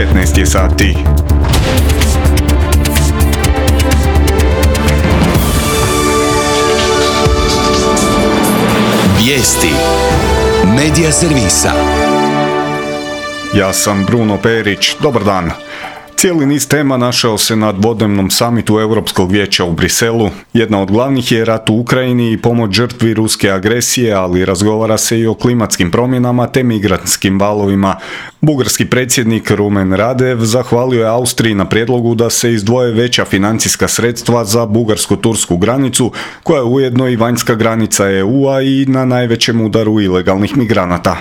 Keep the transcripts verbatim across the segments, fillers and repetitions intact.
petnaest je sati. Vijesti Medija servisa. Ja sam Bruno Perić, dobar dan. Cijeli niz tema našao se na dvodnevnom samitu Europskog vijeća u Briselu. Jedna od glavnih je rat u Ukrajini i pomoć žrtvi ruske agresije, ali razgovara se i o klimatskim promjenama te migrantskim valovima. Bugarski predsjednik Rumen Radev zahvalio je Austriji na prijedlogu da se izdvoje veća financijska sredstva za bugarsko-tursku granicu, koja je ujedno i vanjska granica E U-a i na najvećem udaru ilegalnih migranata.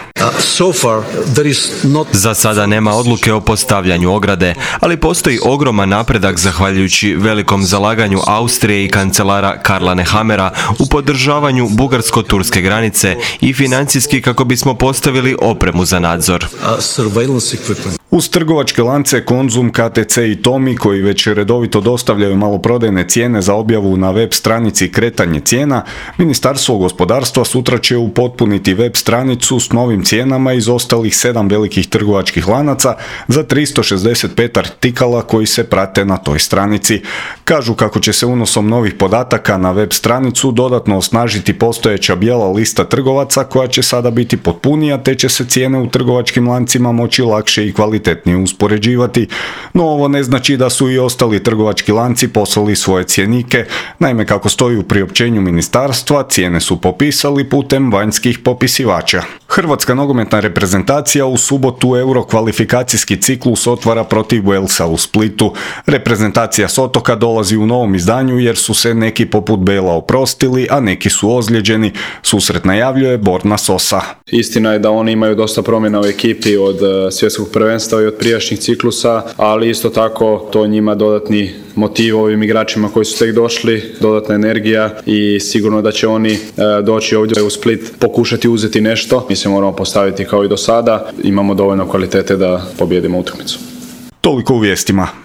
Za sada nema odluke o postavljanju ograde, ali postoji ogroman napredak zahvaljujući velikom zalaganju Austrije i kancelara Karla Nehammera u podržavanju bugarsko-turske granice i financijski kako bismo postavili opremu za nadzor. Uz trgovačke lance Konzum, K T C i Tomi, koji već redovito dostavljaju maloprodajne cijene za objavu na web stranici Kretanje cijena, Ministarstvo gospodarstva sutra će upotpuniti web stranicu s novim cijenama iz ostalih sedam velikih trgovačkih lanaca za tristo šezdeset pet artikala koji se prate na toj stranici. Kažu kako će se unosom novih podataka na web stranicu dodatno osnažiti postojeća bijela lista trgovaca koja će sada biti potpunija, te će se cijene u trgovačkim lancima moći lakše i kvalitetnije uspoređivati. No ovo ne znači da su i ostali trgovački lanci poslali svoje cjenike. Naime, kako stoji u priopćenju ministarstva, cijene su popisali putem vanjskih popisivača. Hrvatska nogometna reprezentacija u subotu Euro kvalifikacijski ciklus otvara protiv Walesa u Splitu. Reprezentacija s otoka dolazi u novom izdanju jer su se neki poput Bela oprostili, a neki su ozlijeđeni. Susret najavljuje Borna Sosa. Istina je da oni imaju dosta promjena u ekipi od svjetskog prvenstva i od prijašnjih ciklusa, ali isto tako to njima dodatni motiv ovim igračima koji su tek došli, dodatna energija i sigurno da će oni doći ovdje u Split pokušati uzeti nešto. Mi se moramo postaviti kao i do sada, imamo dovoljno kvalitete da pobijedimo utakmicu. Toliko u vijestima.